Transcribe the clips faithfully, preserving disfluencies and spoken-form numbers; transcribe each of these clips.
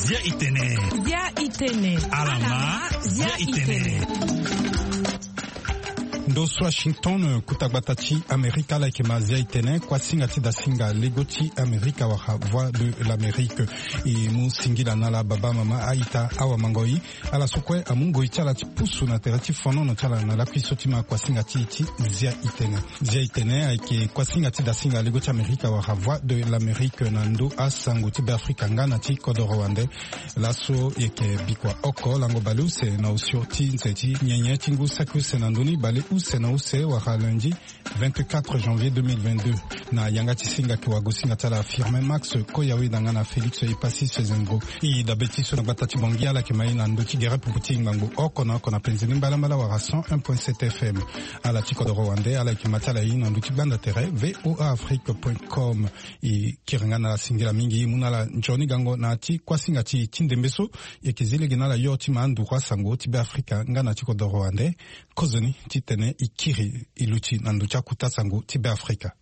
Zia itene. Zia itene. Alama. Zia itene. Ndo so Washington, kuta gbata ti Amerika, ala yeke ma zia itene. Kuasinga ti dasinga lego ti Amerika wala Voix de l'Amérique. E mu singila na ala baba, mama, a-ita, awa, mango, i. Ala so kue amu ngoi ti ala ti pusu na tere ti fonono ti ala na lakui so ti ma kuasinga ti e ti zia itene. Zia itene ayeke kuasinga ti dasinga lego ti Amerika wala Voix de l'Amérique na ndö asango ti Beafrika nga na ti kodoro wande. Laso e yeke bikua oko lango bale use na osio ti nze ti nyenye ti ngu saki use na ndö ni, bale use na use wala lundi vingt-quatre janvier deux mille vingt-deux. Na yanga ti singa ayeke wagosinga ti ala Firmin Max Koyawe na nga na Félix Epassi Sezengo. E dabe ti so na gbata ti Bangui, ala yeke ma e na ndö ti gere pupu ti ngbangbo oko na oko na penze ni mbalambala wala cent un point sept F M. Ala ti kodoro wande, ala yeke ma ti ala e na ndö ti gbanda tere V O A Afrique point com. E kiri nga na ala singila mingi, e mu na ala nzoni gango na ya ti kuasinga ti e ti ndembe so. E yeke zi lege na ala yo ti ma anduru asango ti Beafrika nga na ti kodoro wande. Kozoni titene e kiri e luti na ndö ti akuta sango ti Beafrika.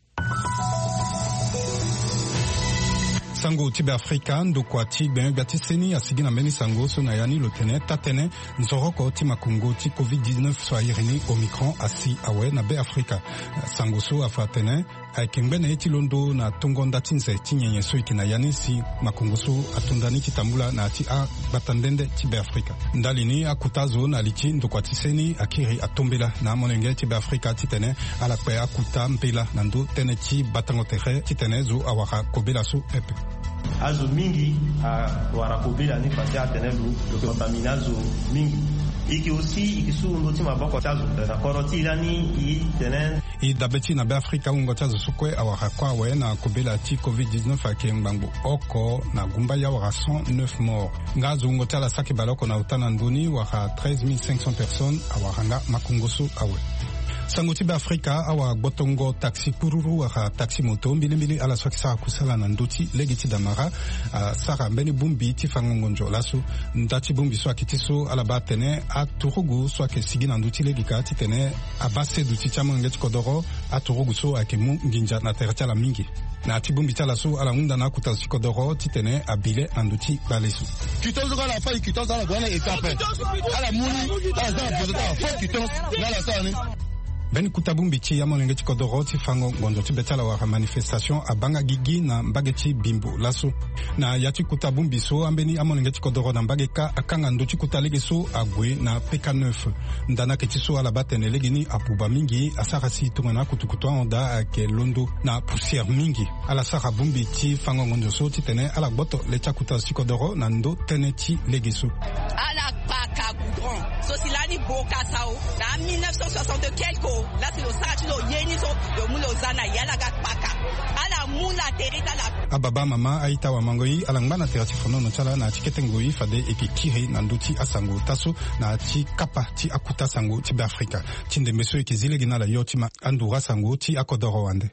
Sango ti Beafrika, ndokua ti gbenyo-gbia ti seni asigi na mbeni sango so na ya ni lo tene taa-tënë nzoroko ti makongo ti covid dix-neuf so a iri ni Omicron asi awe na Beafrika. Sango so afa atene ayeke ngbene ye ti londo na tongo nda ti nze ti nyenye so e yeke na ya ni si makongo so ato nda ni ti tambula na ya ti agbata nde nde ti Beafrika. Ndali ni, akuta azo na li ti ndokua ti seni akiri atombela na amolenge ti Beafrika titene ala kpe akuta mbela na ndö tënë ti batango tere titene zo awara kobela so pepe. Azo mingi awara kobela ni parce que atene lo, lo contamine azo mingi. E yeke aussi, e yeke su ndö ti maboko ti azo na kodro ti e lani, e tene. E dabe ti e na Beafrika, wungo ti azo so kue awara kue awe na kobela ti covid dix-neuf ayeke ngbangbo oko na gumbaya wala cent neuf morts. Nga azo wungo ti ala saki baleoko na ota na ndö ni wala treize mille cinq cents personnes awara nga makongo so awe. Sango ti Beafrika, awa gbotongo taxi kururu wala taxi moto mbilimbili, ala so ayeke sara kusala na ndö ti lege ti damara, asara mbeni bongbi ti fango ngonzo laso. Nda ti bongbi so ayeke ti so ala baa atene aturugu so ayeke sigi na ndö ti lege ka titene abaa seduti ti amolenge ti kodoro, aturugu so ayeke mu nginza na tere ti ala mingi. Na ya ti bongbi ti ala so ala hunda na akuta zo ti kodoro titene abi le na ndö ti gbale so. Quittance so kue ala fâ e, quittance ala gue na étape. Ala mu ni, ala za na poto ti ala faux quittance, nga ala sara ni. Mbeni kuta bongbi ti amolenge ti kodoro ti fango ngonzo ti be ti ala wala manifestation abaa nga gigi na mbage ti Bimbo laso. Na ya ti kuta bongbi so, ambeni amolenge ti kodoro na mbage kâ akanga ndö ti kuta lege so ague na P K neuf. Nda ni ayeke ti so ala baa atene lege ni abuba mingi, asara si tongana akutukutu ahon daa ayeke londo na poussière mingi. Ala sara bongbi ti fango ngonzo so titene ala gboto le ti akuta zo ti kodoro na ndö tënë ti lege so. Ala kpaka goudron so si lani boka sao na mille neuf cent soixante quelque o, la si lo sara ti lo ye ni so, lo mu lo za na ya la ga kpaka. Ala mu la tere ti ala. Ababa, mama, a-ita, awamango-i, ala ngba na tere ti fonono ti ala na ya ti kete ngoi fade e yeke kiri na ndö ti asango taa so na ya ti kapa ti akuta sango ti Beafrika. Ti ndembe so e yeke zi lege na ala yo ti ma anduru asango ti akodoro wande.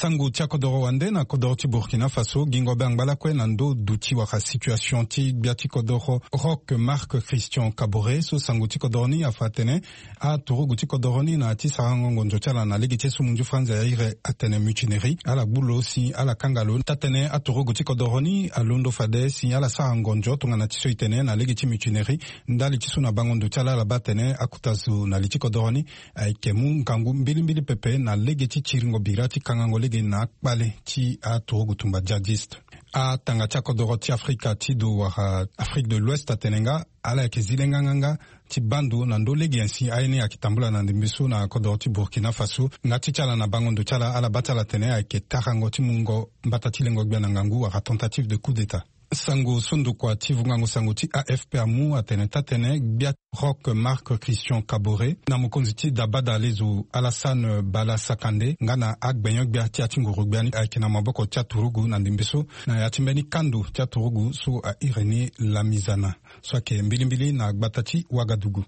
Sango ti akodoro wande na kodoro ti Burkina Faso, gingo be angba lakue na ndö duti wala situation ti gbia ti kodoro Roch Marc Christian Kaboré so sango ti kodoro ni afa atene aturugu ti kodoro ni na ya ti sarango ngonzo ti ala na lege ti so munzu franzi airi atene mutinerie, ala gbu lo si ala kanga lo taa-tënë aturugu ti kodoro ni alondo fade si ala sara ngonzo tongana ti so e tene na lege ti mutinerie. Ndali ti so na bango ndo ti ala, ala baa atene akuta zo na li ti kodoro ni ayeke mu ngangu mbilimbili pepe na lege ti tiringo bira ti kangango lege na akpale ti aturugu tumba djihadiste. Atanga ti akodoro ti Afrika ti do wala Afrique de l'Ouest atene nga ala yeke zi le nganganga ti baa ndo na ndö lege nyen si aye ni ayeke tambula na ndembe so na kodoro ti Burkina Faso. Nga ti ti ala na bango ndo ti ala, ala baa ti ala atene ayeke tarango ti mungo mbata ti lengo gbia na ngangu wala tentative de coup d'État. Sango so ndokua ti vungango sango ti A F P amu atene taa-tënë gbia Roch Marc Christian Kaboré na mokonzi ti dabada lezo Alassane Bala Sakandé nga na agbenyo-gbia ti ya ti nguru-gbia ni ayeke na maboko ti aturugu na ndembe so na ya ti mbeni kando ti aturugu so a iri ni Lamizana so ayeke mbilimbili na gbata ti Ouagadougou.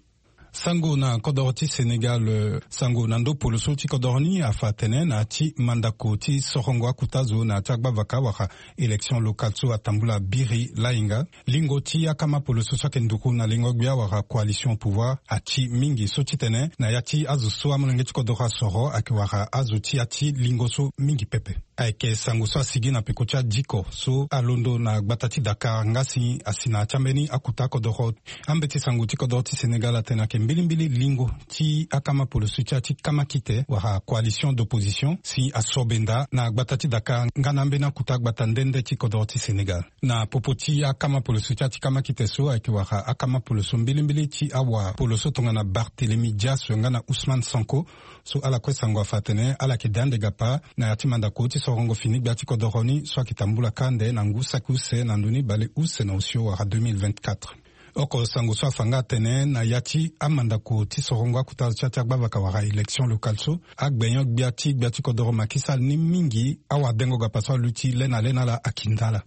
Sango na kodoro ti Sénégal. Sango na ndo poloso ti kodoro ni afa atene na ya ti mandako ti sorongo akuta zo na ya ti agbavaka wala élection locale so atambula biri lainga. Lingo ti akama poloso so ayeke nduru na lingo gbia wala coalition au pouvoir ati mingi so titene na ya ti azo so amolenge ti kodoro asoro ayeke wara azo ti ya ti lingo so mingi pepe. Ayeke sango so asigi na peko ti adiko so alondo na gbata ti Dakar nga si asi na ya ti ambeni akuta kodoro. Ambeti sango ti kodoro ti Sénégal atene ayeke mbilimbili lingo ti akama poloso ti ya ti kamakite wala coalition d'opposition si asobenda na gbata ti Dakar nga na ambeni akuta gbata nde nde ti kodoro ti Sénégal. Na popo ti akama poloso ti ya ti kamakite so ayeke wara akama poloso mbilimbili ti awa poloso tongana Barthélemy Dias nga na Ousmane Sonko. So ala kue sango afa atene ala yeke da ande gapa na ya ti mandako ti sorongo fini gbia ti kodoro ni so ayeke tambula kâ ande na ngu saki use na ndö ni bale use na osio wala deux mille vingt-quatre. Oko sango so afa nga atene na ya ti amandako ti sorongo akuta zo ti ya ti agbavaka wala élection locale so agbenyo gbia ti gbia ti kodoro Macky Sall ni mingi awadengo gapa so aluti le na le na ala akinda ala.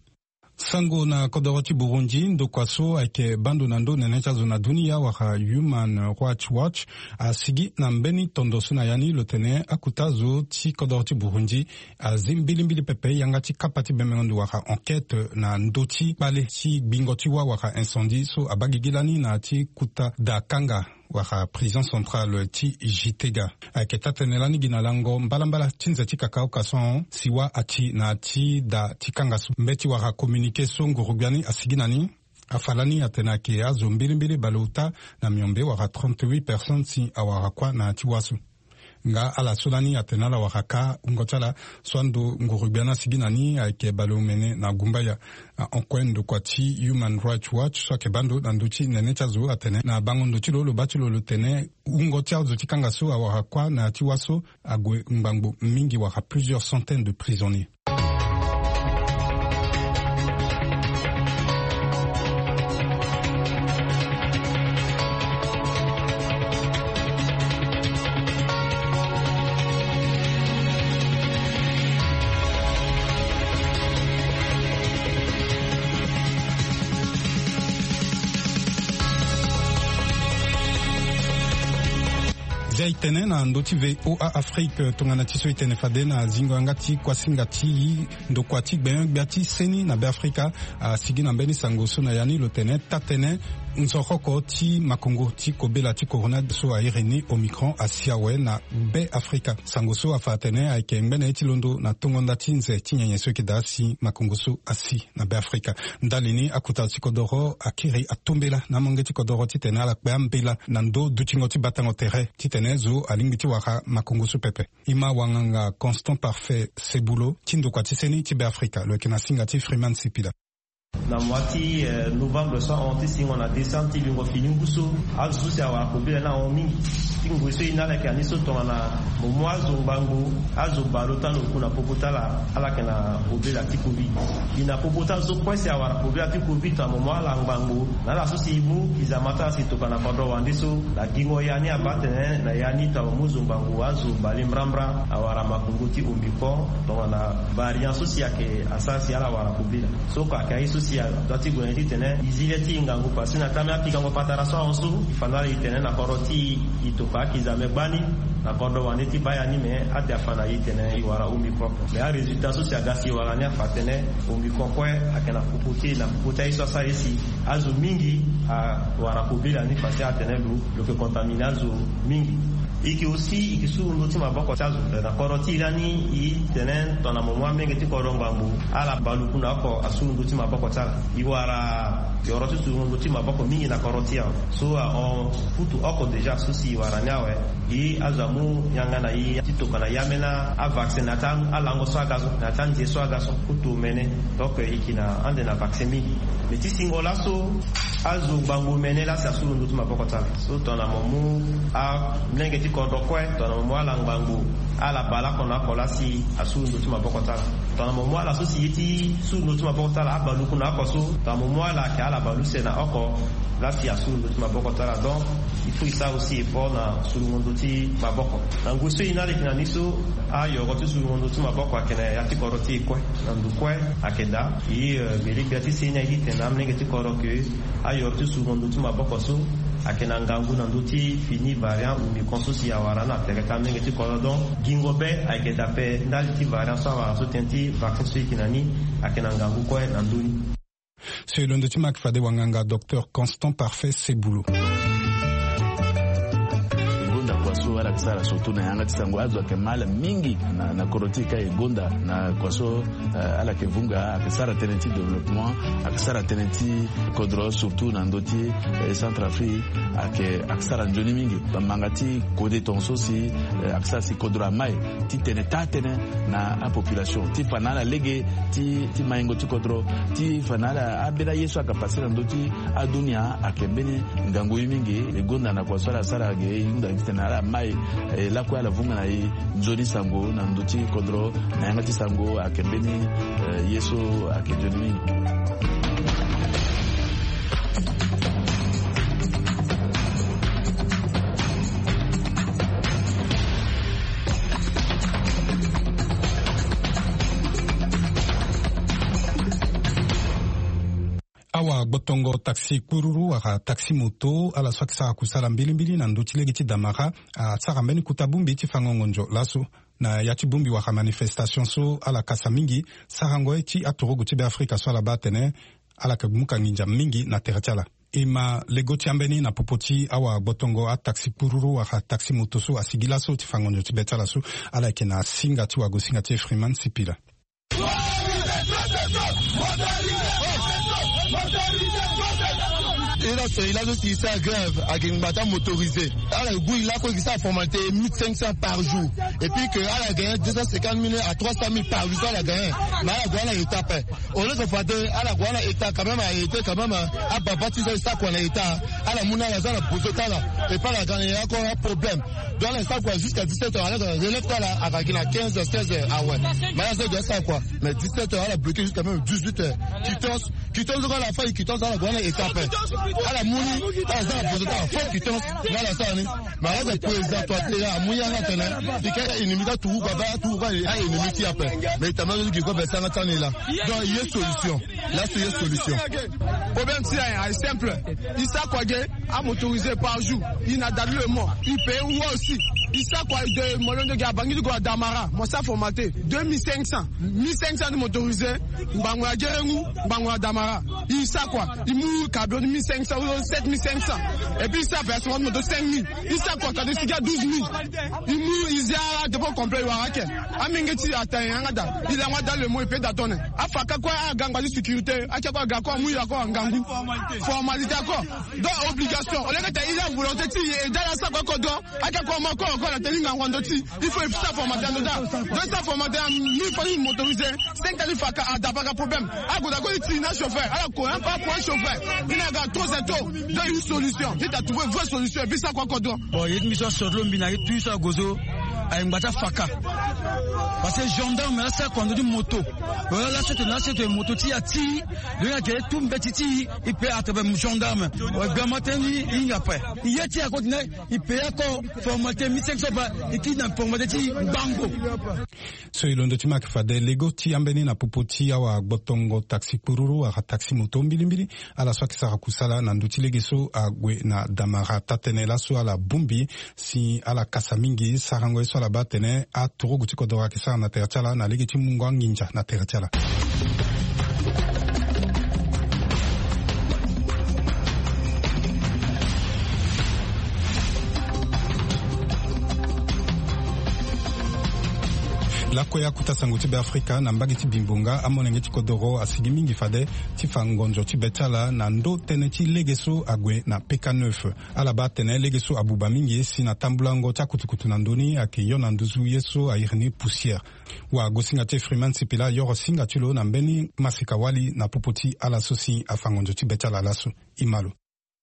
Sango na kodoro ti Burundi, ndokua so ayeke bando na ndo nene ti azo na dunia wala Human Rights Watch asigi na mbeni tondo so na ya ni lo tene akuta zo ti kodoro ti Burundi azi mbilimbili pepe yanga ti kapa ti bembengo ndo wala enquête na ndö ti kpale ti gbingo ti wâ wala incendie so abaa gigi lani na ya ti kuta da kanga wala prison centrale ti Gitega. Ayeke taa-tënë lani gi na lango mbalambala ti nze ti kakaoka so ahon si wâ ati na ya ti da ti kanga so. Mbeti wala communiqué so nguru-gbia ni asigi na ni afa lani atene ayeke azo mbilimbili baleota na miombe wala trente-huit personnes si awara kuâ na ya ti wâ so. Nga ala so lani atene ala wara kâ wungo ti ala so ando nguru-gbia ni asigi na ni ayeke baleomene na gumbaya. Na hon kue ndokua ti Human Rights Watch so ayeke baa ndo na ndö ti nene ti azo atene na bango ndo ti lo lo baa ti lo lo tene wungo ti azo ti kanga so awara kuâ na ya ti wâ so ague ngbangbo mingi wala plusieurs centaines de prisonniers. Zia e tene na ndö ti V O A Afrique tongana ti so e tene fade na zingo yanga ti kuasinga ti ndokua ti gbenyo-gbia ti seni na Beafrika asigi na mbeni sango so na ya ni lo tene taa-tënë nzoroko ti makongo ti kobela ti corona so a iri ni Omicron asi awe na Beafrika. Sango so afa atene ayeke ngbene ye ti londo na tongo nda ti nze ti nyenye so eke daa si makongo so asi na Beafrika. Ndali ni akuta ti kodoro akiri atombela na amolenge ti kodoro titene ala kpe ambela na ndö dutingo ti batango tere titene zo alingbi ti wara makongo so pepe. E ma wanganga Constant Parfait Sebulo ti ndokua ti seni ti Beafrika lo yeke na singa ti Freeman Sipila. Na mois ti eh, novembre so ahon ti singo na décembre ti lingo fini ngu so azo so si awara kobela ni ahon mingi. Ti ngoi so e na ala yeke ani so tongana mo mu azo ngbangbo, azo baleota na oku na popo ti ala, ala yeke na kobela ti covid. Gi na popo ti azo so kue si awara kobela ti covid tongana mo mu ala ngbangbo na ala so si e mu kizama ti ala si tokua na kodro wande so na gingo ya ni abaa atene na ya ni tongana mo mu zo ngbangbo azo bale mbrambra awara makongo ti Omicron tongana variant so si ayeke asara si ala wara kobela. So oko ayeke aye so si adoit ti gue na ye titene e zi le ti e ngangu parce que na taa mbeni apikango patara so ahon so e fa na ala e tene na kodro ti e e tokua akizame gbani na kodro wande ti baa ya ni me ade afa na e tene e wara Omicron. Me arésultat so si aga si e wara ni afa atene Omicron kue ayeke na popo ti e na popo ti aye so asara ye si azo mingi awara kobela ni fa si atene lo lo yeke contamine azo mingi. E yeke aussi e yeke suru ndö ti maboko ti azo na kodro ti e lani e tene tongana mo mu amolenge ti kodro ngbangbo ala baleoku na oko asuru ndö ti maboko ti ala. E wara yoro ti suru ndö ti maboko mingi na kodro ti e awe. So ahon kutu oko déjà so si e wara ni awe. E azo amu yanga na e ti tokua na e ambeni avaccin na ya ti alango so aga so na ya ti anze so aga so kutu omene. Donc e yeke na ande na vaccin mingi. Me ti singo laso azo ngbangbo omene laa si asuru ndö ti maboko ti ala. So tongana mo mu amolenge ti kodro kue tongana mo mu ala ngbangbo ala baleoko na oko laa si asuru ndö ti maboko ti ala. Tongana mo mu ala so si ye ti suru ndö ti maboko ti ala abaleoku na oko so tongana mo mu ala ayeke ala baleuse na oko laa si asuru ndö ti maboko ti ala. Donc il faut e sara aussi effort na surungo ndö ti maboko. Na ngoi so e na ala e yeke na ni so ayoro ti surungo ndö ti maboko ayeke na ya ti kodro ti e kue. Na ndo kue ayeke daa. E eh, gbele gbia ti seni aye ti tene na amolenge ti kodro ke ayoro ti surungo ndö ti maboko so Ayeke na ngangu na ndö ti fini variant omicron so si awara na tere ti amenge ti kodro. Donc gingo be ayeke daa ape ndali ti variant so awara so tënë ti vaccin so e yeke na ni. Ayeke na ngangu kue na ndö ni. So e londo ti ma ayeke fade wanganga docteur Constant Parfait Sebulo. E gonda kua so ala yeke sara surtout na yanga ti sango, azo ayeke mal mingi na, na kodro ti e ka e gonda na kua so, eh, ala yeke vunga, ayeke sara tënë ti développement, ayeke sara tënë ti kodro surtout na ndö ti, eh, Centrafrique, ayeke, ayeke sara nzoni mingi. Bamanga ti kode tongaso si, eh, ayeke sara si kodro amai ti tene taa tënë na apopulation ti fa na ala lege ti, ti maingo ti kodro, ti fa na ala ambeni aye so ayeke pase na ndö ti adunia ayeke mbeni ngangu ye mingi. E gonda na kua so ala sara ge e hunda gi titene ala mai, eh, lakue ala vunga na e nzoni sango na ndö ti kodro na yanga ti sango ayeke mbeni, eh, ye so ayeke nzoni mingi. Awagbotongo taxi kpururu wala taxi moto, ala so ayeke sara kusala mbilimbili na ndö ti lege ti Damara, asara mbeni kota bongbi ti fango ngonzo laso. Na ya ti bongbi wala manifestation so ala kasa mingi, sarango ye ti aturugu ti Beafrika so ala baa atene ala yeke muka nginza mingi na tere ti ala. E ma lego ti ambeni na popo ti awagbotongo ataxi kpururu wala taxi moto so asigi laso ti fa ngonzo ti be ti ala so. Ala yeke na singa ti wagosinga ti Freeman Sipila. E la so e la so si e sara grève ayeke ngba ti amotorisé. Ala gbu e lakue e ke sara formalité mille cinq cents par jour. Et puis que ala gagné deux cent cinquante mille à trois cent mille par jour so ala gagné. Mais ala gue ala état ape. Au lieu que fade ala gue ala état quand même, a été quand même, hein, ababa ti so e sara kua na état. Ala mu na ala so ala bozo ti ala. Et puis ala ga na ye encore un problème. Donc ala sara kua jusqu'à dix-sept heures, alors que relève ti ala ayeke na quinze heures, seize heures awe. Mais ala so e doit sara kua na dix-sept heures, ala bloqué jusqu'à même dix-huit heures. Quittance, quittance so ala fâ, quittance ala gue na état ape. Ala mu ni, ala sara bozo ti ala faux quittance. Mais ala sara ni. Mais ala président toi ti ala amu yanga atene e ka ennemi ti aturugu, aba aturugu aennemi ti e ape. Mais e tene ma so gi ko be sanga ti ala ni laa. Donc ye solution. Laso ye solution. Problème ti ala aye simple. E sara kua ge, amotorisé par jour. E na Dadi Lemo. E paye wa aussi. E sara kua de molondo ge abangidi go na Damara. Mo sara formaté. Deux mille cinq cents. Mille cinq cents ti motorisé. Ngbangbo na Gerengu, ngbangbo na Damara. E sara kua. E mu camion ti mille cinq cents ou sept mille cinq cents. Et puis e sara versement ti moto cinq mille. E sara kua kade sigi a douze mille. E mu e zia dépôt complet e wara ake. Amenge ti e ata nyen yanga daa. E lango ada le mot e pe daa tone. Afa ka kue aga ngba ti sécurité. Ake kue aga kue amu ya kue ngangu. Formalité ako. Donc obligation. Au lieu que ta e la volonté ti e daa la sa kue kodro. Ake kue mo kue kue na tene ngangu na ndö ti e. Il faut e sara formalité na ndö daa. Donc e sara formalité na mille fois ti motorisé. Cinq ans ti fa ka ada pa ka problème. Ague daa kue ti tene na chauffeur. Ala ko un pas pour un chauffeur. E na ga trop c'est trop. Donc une solution. Vite à trouver vraie solution. Et puis ça quoi kodro. Bon, ye ti mbi so aso ti lo mbi na ye tout so ague so. Ayeke ngba ti afaka. Parce que gendarme la sara kua na ndö ti moto. Wala la sete na sete moto ti ya ti. Lo yeke tout mbeti ti e pe à travers gendarme. Wala gbia ma tënë ni e hinga ape. E ye ti e ako tene e paye ako formalité mille cinq cents ba e kiri na formalité ti e ngbangbo. So e londo ti ma ayeke fade lego ti ambeni na popo ti awagbotongo taxi kpururu wala taxi moto mbilimbili. Ala so ayeke sara kusala na ndö ti lege so ague na Damara taa-tënë laso ala bongbi si ala kasa mingi sarango ye so ala baa atene aturugu ti kodro ayeke sara na tere ti ala na lege ti mungo anginza na tere ti ala. Lakue akota sango ti Beafrika na mbage ti Bimbonga, amolenge ti kodoro asigi mingi fade ti fa ngonzo ti be ti ala na ndö tënë ti lege so ague na P K neuf. Ala baa atene lege so abuba mingi si na tambulango ti akutukutu na ndö ni ayeke yo na nduzu ye so a iri ni poussière. Wagosinga ti Freeman Sipila ayoro singa ti lo na mbeni masika wali na popo ti ala so si afa ngonzo ti be ti ala laso. E ma lo.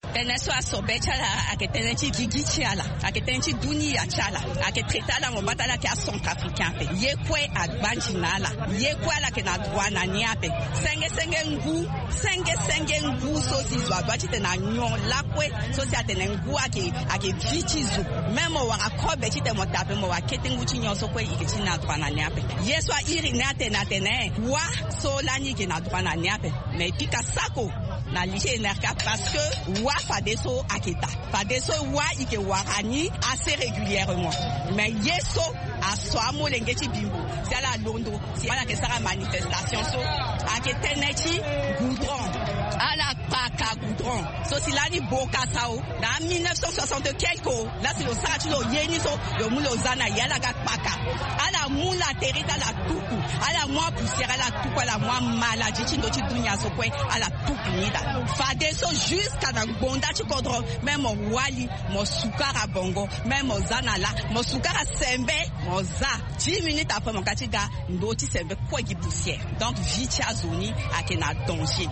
Tënë so aso be ti ala ayeke tënë ti gigi ti ala, ayeke tënë ti dunia ti ala. Ayeke traité ala mo baa ti ala ayeke acentrafricain ape. Ye kue agbanzi na ala. Ye kue ala yeke na droit na ni ape. Senge senge ngu, senge senge ngu so si zo adoit titene anyon lakue so si atene ngu ayeke, ayeke vie ti zo. Même mo wara kobe titene mo taa ape, mo wara kete ngu ti nyon so kue e yeke ti na droit na ni ape. Ye so a iri ni atene atene wa so lani e yeke na droit na ni ape. Mais e pika sako. Na lycée Enerca parce que wa fadeso ayeke daa. Fadeso wa e yeke wara ni assez régulièrement. Mais ye so aso amolenge ti Bimbo si ala londo si ala yeke sara manifestation so ayeke tënë ti goudron. Ala kpaka goudron so si lani bokasa o. Na mille neuf cent soixante quelque o, la si lo sara ti lo ye ni so, lo mu lo za na ye, ala ga kpaka. Ala mu latérie ti ala tuku. Ala mu apoussière ala tuku, ala mu amaladi ti ndö ti dunia so kue ala tuku ni daa. Fadeso jusqu'à na ngbonda ti kodro, même mo wali, mo sukara bongo, même mo za na la, mo sukara sembe, mo za. Dix minutes après mo ka ti ga, ndö ti sembe kue gi poussière. Donc vie ti azo ni ayeke na danger.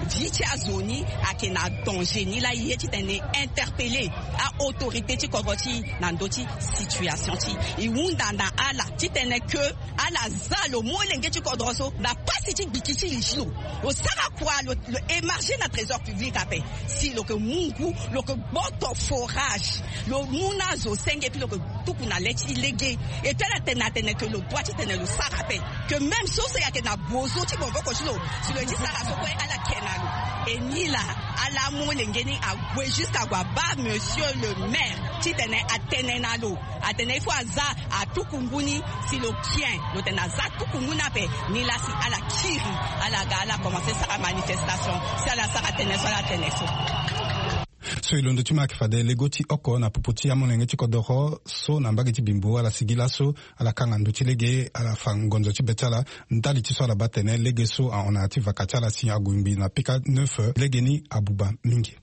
Vie ti azo ni ayeke na danger. Ni laa e ye titene e interpeller a-autorité ti kodro ti e na ndö ti situation ti e. E hunda na ala titene que ala za lo molenge ti kodro so na pasi ti gbiki ti li ti lo. Lo sara kua lo, lo émarger na trésor public ape. Si lo yeke mu ngu, lo yeke gboto forage, lo mu na azo senge, puis lo yeke tuku na le ti lege. Et puis ala tene atene que lo doit titene lo sara ape. Que même so so e yeke na bozo ti maboko ti lo, si lo ye ti sara so kue ala ke na lo. Et ni laa ala amolenge ni ague jusqu'à ague abaa monsieur le maire titene atene na lo, atene il faut aza atuku ngu ni. Si lo kien lo tene aza atuku ngu ni ape, ni laa si ala kiri, ala ga ala commencer sara manifestation. Si ala sara tënë so ala tene so. So e londo ti ma ayeke fade lego ti oko na popo ti amolenge ti kodoro so na mbage ti Bimbo, ala sigi laso, ala kanga ndö ti lege, ala fa ngonzo ti be ti ala. Ndali ti so ala baa tene lege so ahon na ya ti vaka ti ala si ague ngbii na pika neuf, lege ni abuba mingi.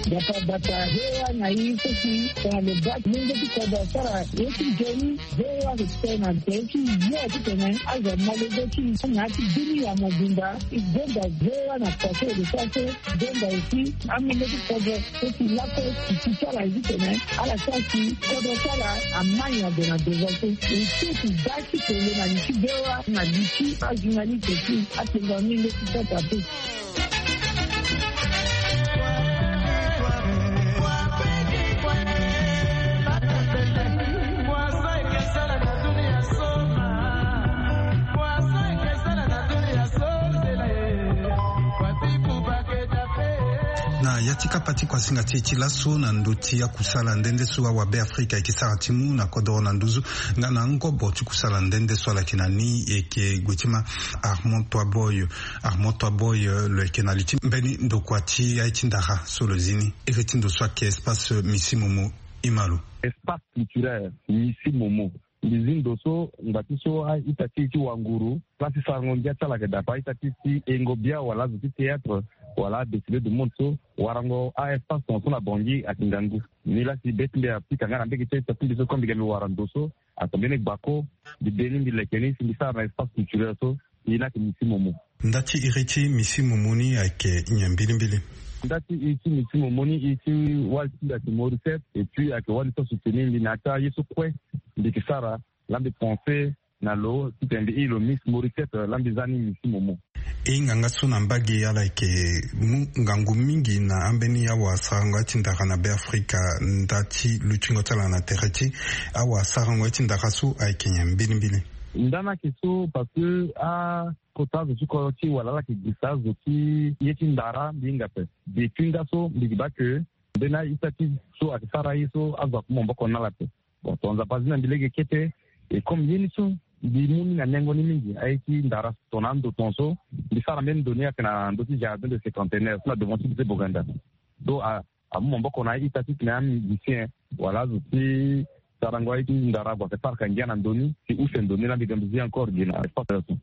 Bata bata, V O A na i so si tongana lo baa ti lenge ti kodro asara ye ti nzoni, V O A ayeke tene na tere ti ye titene azo amolenge ti i na ya ti bini ya mobimba. I gonda V O A na kua so e lo sara so, i gonda aussi amolenge ti kodro so si lakue ti ti ti ala ye titene ala sara si kodro ti ala amai na gue na devant so. E so ti baa ti tene na li ti V O A na li ti ajournaliste ti atengo amolenge ti kodro ape. Na ya ti kapa ti kuasinga ti e ti laso na ndö ti akusala nde nde so awabe Afrika ayeke sara ti mu na kodoro na nduzu nga na ngobo ti kusala nde nde so ala yeke na ni, e yeke gue ti ma Armand Toiboy. Armand Toiboy, euh, lo yeke na li ti mbeni ndokua ti aye ti ndara so lo zi ni iri ti ndo so ayeke espace Misi Momo. Ima lo. Espace culturel Misi Momo. Mbi zi ndo so ngba ti so a-ita ti e ti wanguru, place ti sarango ngia ti ala ayeke daa ape. A-ita ti e ti yengo bia wala azo ti théâtre wala a-défilé du monde so, warango a-espace tongaso na Bangui ayeke ngangu. Ni laa si be ti mbi apika nga na mbege ti a-ita ti mbi so, comme mbi ga mbi wara ndo so, ato mbeni gbako, mbi de ni mbi leke ni si mbi sara na espace culturel so. E ni ayeke Misi Momo. Nda ti iri ti Misi Momo ni ayeke nyen mbilimbili? Nda ti iri ti Misi Momo ni, iri ti wali ti mbi ayeke Mauricette, et puis ayeke wali so asoutenir mbi na ya ti aye so kue mbi yeke sara. Laa mbi pense na lo titene mbi iri lo Miss Mauricette, laa mbi za ni Misi Momo. E hinga nga so na mbage ala yeke mu ngangu mingi na ambeni awasarango ya ti ndara na Be Afrika. Nda ti lutingo ti ala na tere ti awasarango ya ti ndara so ayeke nyen mbilimbili? Nda ni ayeke so parce que akota azo ti kodro ti e wala ala yeke gisa azo ti ye ti ndara mbi hinga ape. Depuis nda so mbi yeke baa ke mbeni a-ita ti so ayeke sara ye so azo aku maboko na ala ape. Bon, tongana Nzapa azi na mbi lege kete, e comme ye ni so mbi mu ni na nengo ni mingi, aye ti ndara tongana ando tongaso mbi sara mbeni ndo ni ayeke na ndö ti jardin de cinquantenaire so na devant ti lycée Boganda. So a amu maboko na a-ita titene amusicien wala azo ti sarango aye ti ndara ague ayeke parka ngia na ndo ni si use ndo ni laa mbi ga mbi zi encore gi na espace so.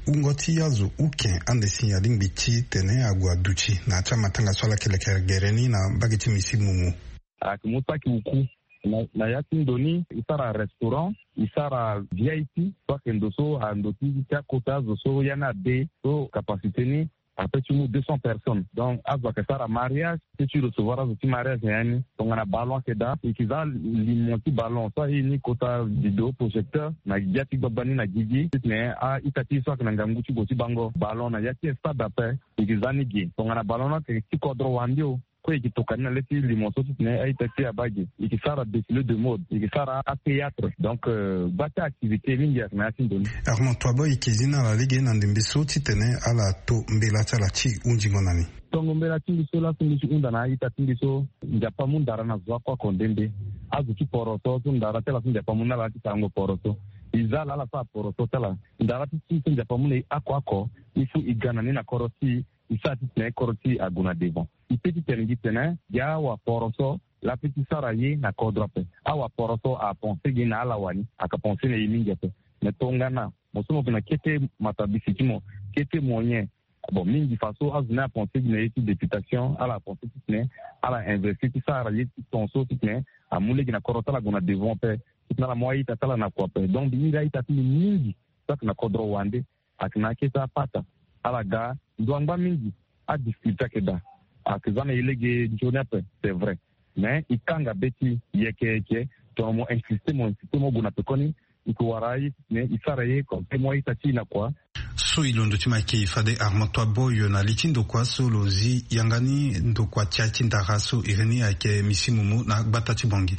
Wungo ti azo uke ande si alingbi titene ague aduti na ya ti amatanga so ala yeke leke gere ni na mbage ti Misi Momo. Ayeke mu saki uku na, na ya ti ndo ni e sara restaurant, e sara V I P so ayeke ndo so ando ti, ti akota azo so ya ni ade so capacité ni ape ti mu deux cents personnes. Donc azo ayeke sara mariage, ti, ti recevoir azo ti mariage na ya ni. Tongana ballon ayeke daa, e yeke za limo ti ballon so aye ni kota vidéo projecteur na gbia ti gbagba ni na gigi titene a-ita ti e so ayeke na ngangu ti gue ti bango ballon na ya ti stade ape, e yeke za ni ge. Tongana ballon ni ayeke ti kodro wande o, so e yeke toka ni na le ti limo so titene a-ita ti e abaa ge. E yeke sara défilé de mode, e yeke sara athéâtre. Donc, euh, gba ti activité mingi ayeke na ya ti ndo ni. Armand Toibo e yeke zi na ala lege na ndembe so titene ala to mbela ti ala ti hunzingo na ni. Tongo mbela ti mbi so laso mbi si hunda na a-ita ti mbi so, Nzapa amu ndara na zo oko oko nde nde. Azo ti poroso so ndara ti ala so Nzapa amu na ala ti sarango poroso. E za ala ala sara poroso ti ala. Ndara ti ti so Nzapa amu na e oko oko, il faut e ga na ni na kodro ti e, e sara titene kodro ti e ague na devant. E pe ti tene gi tene gi awaporoso, laa pe ti sara ye na kodro ape. Awaporoso apense gi na ala wani, aka pense na e mingi ape. Me tongana mo so mo yeke na kete matabisi ti mo, kete moyen. Bon, mingi faso azo ni apense gi na ye ti députation, ala apense titene ala investir ti sara ye ti ton so titene amu lege na kodro ti ala ague na devant ape. Titene ala mu a-ita ti ala na kua ape. Donc mbi hiri a-ita ti mbi mingi so ayeke na kodro wande, ayeke na akete apata. Ala ga ndo angba mingi, adifficulté ayeke daa. Ayeke za na e lege nzoni ape, c'est vrai. Mais e kanga be ti e yeke yeke, tongana mo insiste, mo insiste, mo gue na pekoni, e yeke wara aye titene e sara ye comme te mo a-ita ti e na kua. So e londo ti mo ayeke fade Armand Toibo, yo na li ti ndokua so lo zi yanga ni, ndokua ti aye ti ndara so iri ni ayeke Misi Mumu na gbata ti Bangui.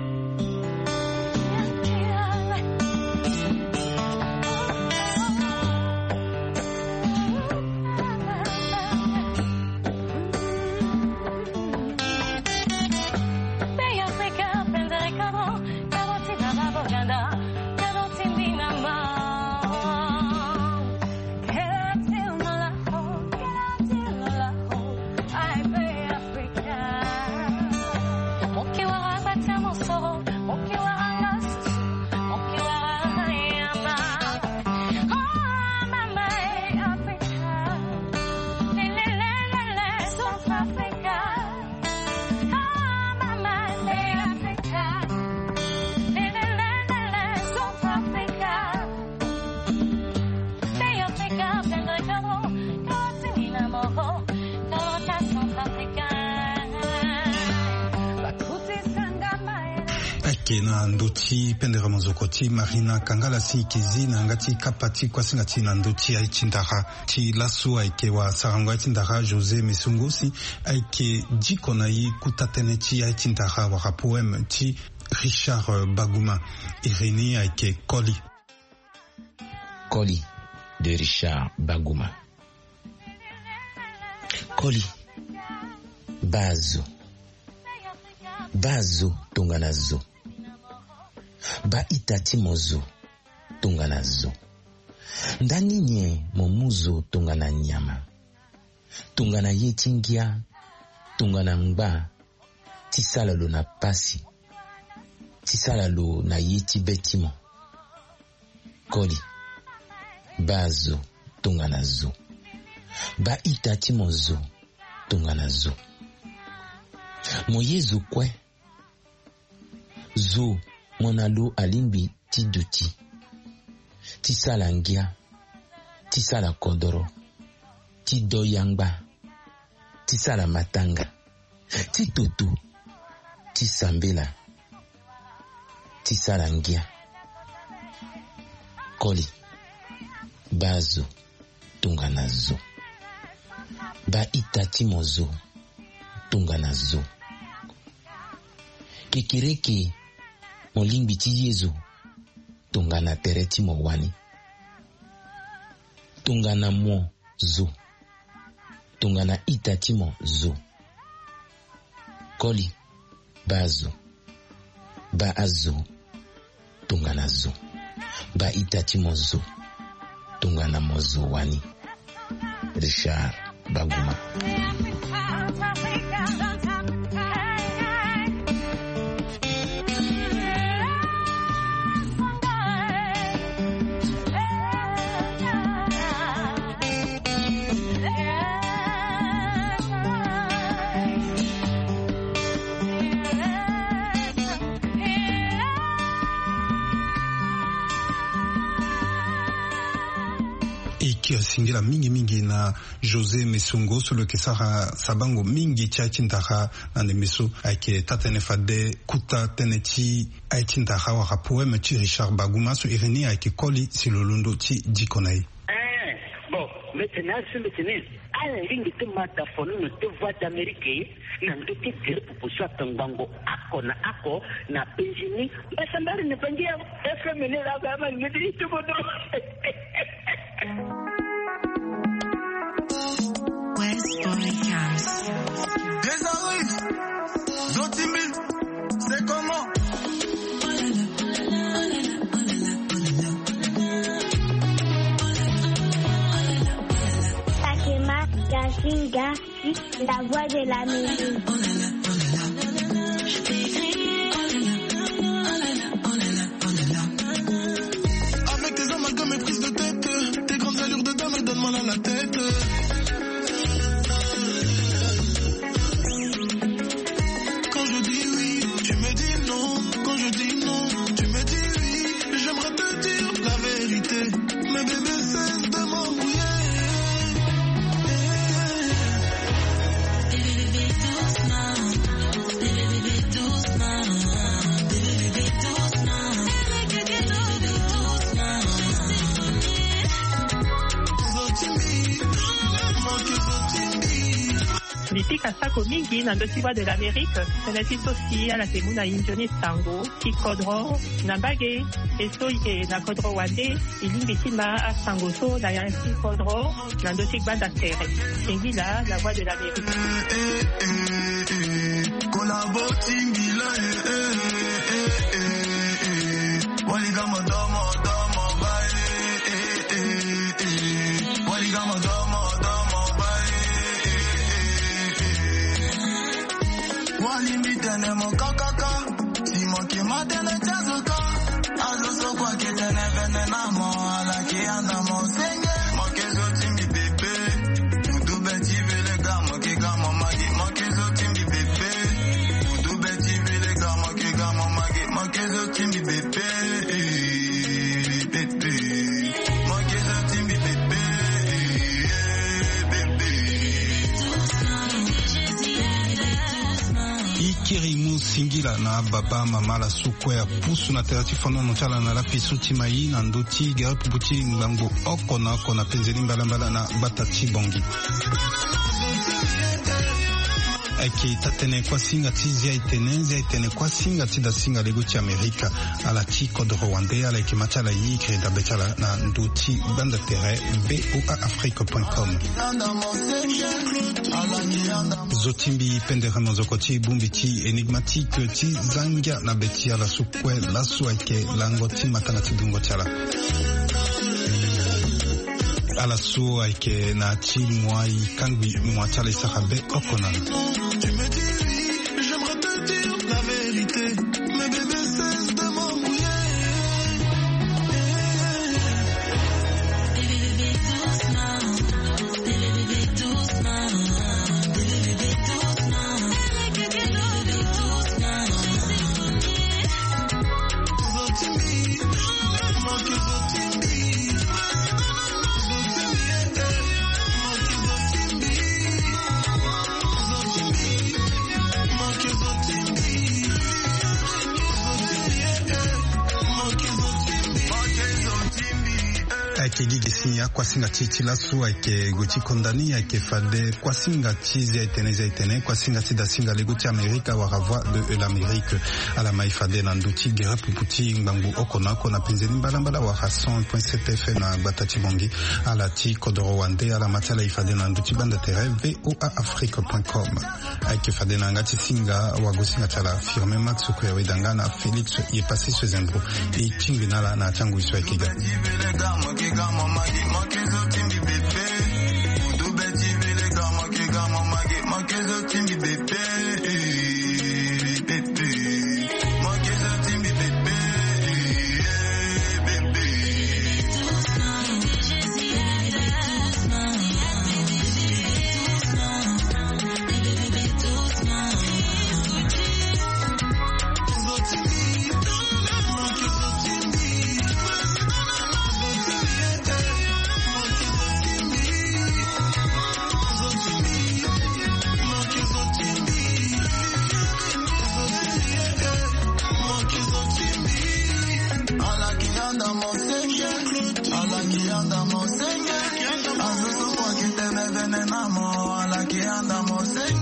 Ayeke na ndö ti pendere mozoko ti Marina Kangala si e yeke zi na yanga ti kapa ti kuasinga ti e na ndö ti aye ti ndara. Ti laso ayeke wasarango aye ti ndara José Mesongo si ayeke diko na e kuta tënë ti aye ti ndara wala poème ti Richard Baguma. Iri ni ayeke Koli. Koli de Richard Baguma. Koli, baa zo. Baa zo tongana zo. Baa ita ti mo zo tongana zo. Ndani nyen mo mu zo tongana nyama? Tongana ye ti ngia, tongana ngba, ti sala lo na pasi, ti sala lo na ye ti be ti mo. Koli, baa zo tongana zo. Baa ita ti mo zo tongana zo. Mo ye zo kue. Zo mo na lo alingbi ti duti, ti sala ngia, ti sala kodoro, ti do yangba, ti sala matanga, ti toto, ti sambela, ti sala ngia. Koli, baa zo tongana zo. Baa ita ti mo zo tongana zo. Kekereke mo lingbi ti ye zo tongana tere ti mo wani. Tongana mo zo. Tongana ita ti mo zo. Koli, baa zo. Baa azo tongana zo. Baa ita ti mo zo tongana mo zo wani. Richard Baguma. E yeke singila mingi mingi na José Mesongo so lo yeke sara sabango mingi ti aye ti ndara na ndembe so. Ayeke taa-tënë fade kuta tënë ti aye ti ndara wala poème ti Richard Baguma so iri ni ayeke Koli si lo londo ti diko na e. Eh, bon, Mete na asembe tene ala lingbi ti mata fonono ti Voix d'Amérique na ndö ti gere pupu so ata ngbangbo oko na oko na penzi ni. Mbasambari na bangi ya F M ni la ba ma ni ti bodo. West Boy House. Désolé. Zotimbi, c'est comment? Sakima, Gazinga, la voix de la musique. Avec tes amalgames et prises de tête, tes grandes allures de dame, elles donnent mal à la tête. Quand je dis oui, tu me dis non. Quand je dis non, tu me dis oui. J'aimerais te dire la vérité. Mais bébé, cesse de m'embrouiller. Mbi pika sako mingi na ndö ti Voix de l'Amérique. Tënë ti so si ala yeke mu na e nzoni sango ti kodro na mbage. E so e yeke na kodro wande, e lingbi ti ma asango so na ya ti kodro na ndö ti gbanda tere. Singila, la voix de l'Amérique. Collabo Singila, eh, eh, eh, eh, eh. Wali gamo domo, domo, ba, eh, eh, eh, eh. Wali gamo domo, domo, ba, eh, eh, eh, eh. Wali mbi tene mo kakaka. Si mo ke ma tene ti azo ka. Azo so kue ake tene vene na mo, ala ke anda mo senge. Mo ke zo ti mbi bebe. Udu be ti vele ga mo ke ga mo magi. Mo ke zo ti mbi bebe. Udu be ti vele ga mo ke ga mo magi. Mo ke zo ti mbi bebe. Eh, bebe. Mo ke zo ti mbi bebe. Eh, bebe. E kiri mu singila na ababa mama ala so kue apusu na tere ti fonono ti ala na lapi so ti mai na ndö ti gere pupu ti ngbangbo oko na oko na penzeni mbalambala na gbata ti Bongi. Ayeke taa-tënë kuasinga ti Zia-e-tene, Zia-e-tene kuasinga ti dasinga lego ti Amerika. Ala ti kodoro wande, ala yeke ma ti ala, e kiri dabe ti ala na ndö ti gbanda tere V O A Afrique point com. Zo ti mbi pendere monzoko ti bongbi ti énigmatique ti zangia na be ti ala so kue laso ayeke lango ti matanga ti dungo ti ala. Ala so ayeke na ti moi, e kangbi moi ti ala, e sara be oko na. Tu me dis oui, j'aimerais te dire la vérité. Mais bébé, cesse de m'embrouiller. Ayeke gi gi si akuasinga ti e ti laso ayeke gue ti konda ni, ayeke fade kuasinga ti Zia-e-tene, Zia-e-tene kuasinga ti dasinga lego ti Amerika wala Voix de l'Amérique. Ala ma e fade na ndö ti gere pupu ti ngbangbo oko na oko na penzeni mbalambala wala cent point sept F M na gbata ti Bongi. Ala ti kodoro wande, ala ma ti ala e fade na ndö ti gbanda tere V O A Afrique point com. Ayeke fade na yanga ti singa wagosinga ti ala Firmin Max Kouyaoué Danga na Félix Yepassi Sezembro. E tingbi na ala na ya ti angoi so ayeke ga. Venenamo alaki anda mo se